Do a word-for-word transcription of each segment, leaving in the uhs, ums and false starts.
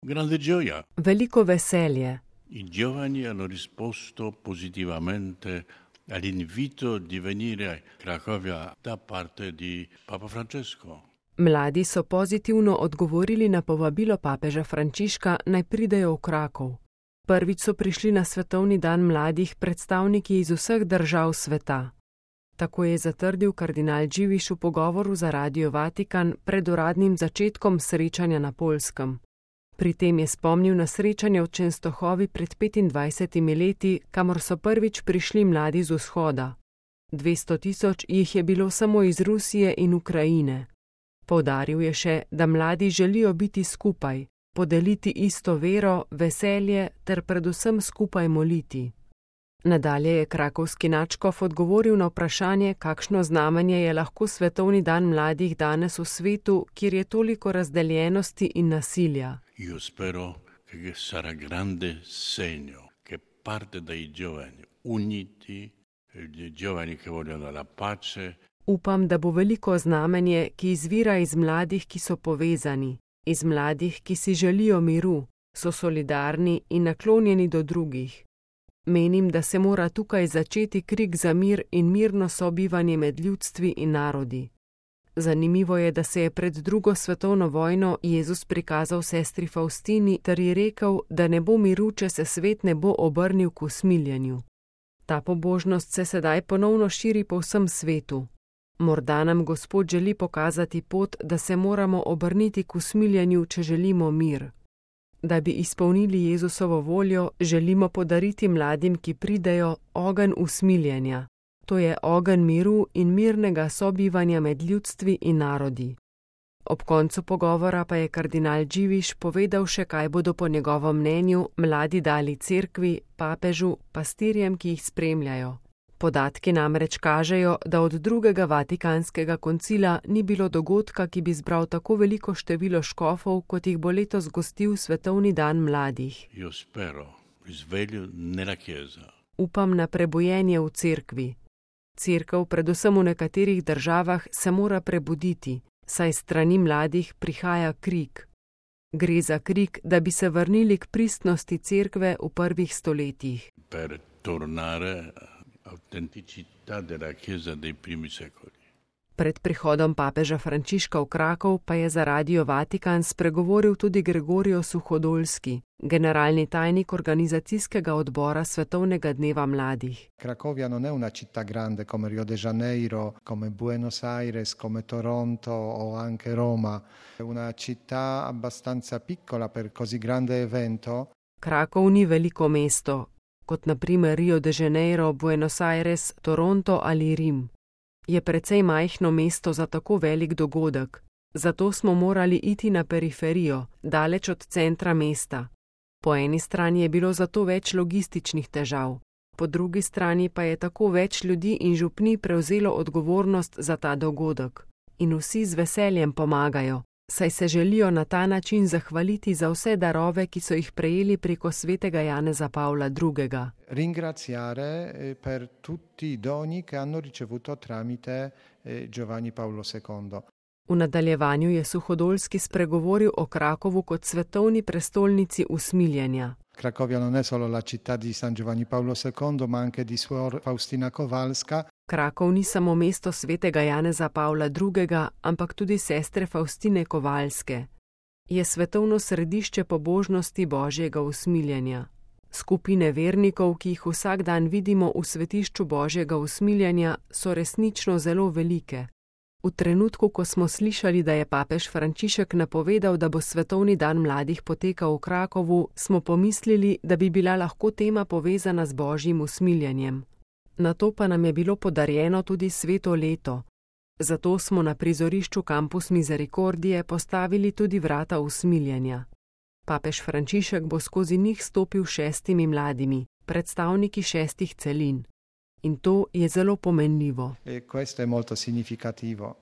Grande gioia. Veliko veselje. I giovani hanno risposto positivamente all'invito di venire a Cracovia da parte di Papa Francesco. Mladi so pozitivno odgovorili na povabilo papeža Frančiška, naj pridejo v Krakov. Prvič so prišli na svetovni dan mladih predstavniki iz vseh držav sveta. Tako je zatrdil kardinal Dziwisz v pogovoru za Radio Vatikan pred uradnim začetkom srečanja na Poljskem. Pri tem je spomnil na srečanje v Częstochowi pred petindvajsetimi leti, kamor so prvič prišli mladi z vzhoda. dvesto tisoč jih je bilo samo iz Rusije in Ukrajine. Poudaril je še, da mladi želijo biti skupaj, podeliti isto vero, veselje ter predvsem skupaj moliti. Nadalje je krakovski nadškof odgovoril na vprašanje, kakšno znamenje je lahko svetovni dan mladih danes v svetu, kjer je toliko razdeljenosti in nasilja. Io spero che sarà grande segno che parte dai giovani uniti, i giovani che vogliono la pace. Upam, da bo veliko znamenje, ki izvira iz mladih, ki so povezani, iz mladih, ki si želijo miru, so solidarni in naklonjeni do drugih. Menim, da se mora tukaj začeti krik za mir in mirno sobivanje med ljudstvi in narodi. Zanimivo je, da se je pred drugo svetovno vojno Jezus prikazal sestri Faustini ter ji rekel, da ne bo miru, če se svet ne bo obrnil k usmiljenju. Ta pobožnost se sedaj ponovno širi po vsem svetu. Morda nam Gospod želi pokazati pot, da se moramo obrniti k usmiljenju, če želimo mir. Da bi izpolnili Jezusovo voljo, želimo podariti mladim, ki pridejo, ogenj usmiljenja. To je ogenj miru in mirnega sobivanja med ljudstvi in narodi. Ob koncu pogovora pa je kardinal Dziwisz povedal še, kaj bodo po njegovem mnenju mladi dali cerkvi, papežu, pastirjem, ki jih spremljajo. Podatki namreč kažejo, da od drugega vatikanskega koncila ni bilo dogodka, ki bi zbral tako veliko število škofov, kot jih bo letos gostil svetovni dan mladih. Io spero risveglio nella chiesa. Upam na prebojenje v cerkvi. Cerkev, predvsem v nekaterih državah, se mora prebuditi, saj strani mladih prihaja krik. Gre za krik, da bi se vrnili k pristnosti cerkve v prvih stoletjih. Per tornare autenticità della Chiesa dei primi secoli. Pred prihodom papeža Frančiška v Krakov pa je za Radio Vatikan spregovoril tudi Gregorijo Suhodolski, generalni tajnik organizacijskega odbora Svetovnega dneva mladih. Cracovia non è una città grande come Rio de Janeiro, come Buenos Aires, come Toronto o anche Roma. È una città abbastanza piccola per così grande evento. Krakov ni veliko mesto, kot na primer Rio de Janeiro, Buenos Aires, Toronto ali Rim. Je precej majhno mesto za tako velik dogodek, zato smo morali iti na periferijo, daleč od centra mesta. Po eni strani je bilo zato več logističnih težav, po drugi strani pa je tako več ljudi in župni prevzelo odgovornost za ta dogodek. In vsi z veseljem pomagajo, saj se želijo na ta način zahvaliti za vse darove, ki so jih prejeli preko svetega Janeza Pavla drugega. Ringraziare per tutti i doni che hanno ricevuto tramite Giovanni Paolo secondo. V nadaljevanju je Suhodolski spregovoril o Krakovu kot svetovni prestolnici usmiljenja. Cracovia non è solo la città di San Giovanni Paolo secondo, ma anche di Suor Faustina Kowalska. Krakov ni samo mesto svetega Janeza Pavla drugega, ampak tudi sestre Faustine Kowalske. Je svetovno središče pobožnosti Božjega usmiljenja. Skupine vernikov, ki jih vsak dan vidimo v svetišču Božjega usmiljenja, so resnično zelo velike. V trenutku, ko smo slišali, da je papež Frančišek napovedal, da bo svetovni dan mladih potekal v Krakovu, smo pomislili, da bi bila lahko tema povezana z Božjim usmiljenjem. Nato pa nam je bilo podarjeno tudi sveto leto. Zato smo na prizorišču Campus Misericordie postavili tudi vrata usmiljenja. Papež Frančišek bo skozi njih stopil šestimi mladimi, predstavniki šestih celin. In to je zelo pomenljivo. E questo è molto significativo.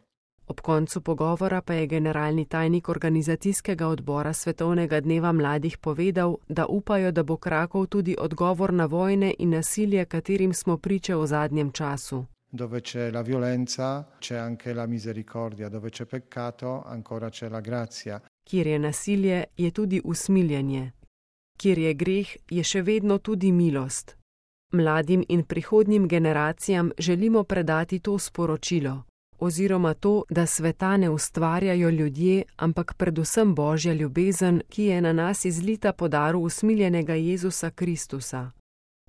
Ob koncu pogovora pa je generalni tajnik organizacijskega odbora Svetovnega dneva mladih povedal, da upajo, da bo Krakov tudi odgovor na vojne in nasilje, katerim smo priče v zadnjem času. Dove c'è la violenza, c'è anche la misericordia, dove c'è peccato, ancora c'è la grazia. Kjer je nasilje, je tudi usmiljenje. Kjer je greh, je še vedno tudi milost. Mladim in prihodnjim generacijam želimo predati to sporočilo, oziroma to, da sveta ne ustvarjajo ljudje, ampak predvsem Božja ljubezen, ki je na nas izlita po daru usmiljenega Jezusa Kristusa.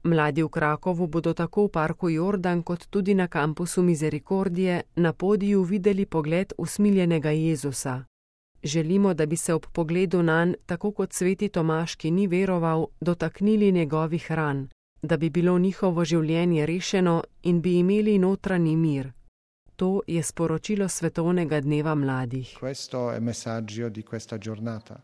Mladi v Krakovu bodo tako v parku Jordan kot tudi na kampusu Misericordije na podiju videli pogled usmiljenega Jezusa. Želimo, da bi se ob pogledu nanj, tako kot sveti Tomaž, ki ni veroval, dotaknili njegovih ran, da bi bilo njihovo življenje rešeno in bi imeli notranji mir. To je sporočilo svetovnega dneva mladih. Questo è il messaggio di questa giornata.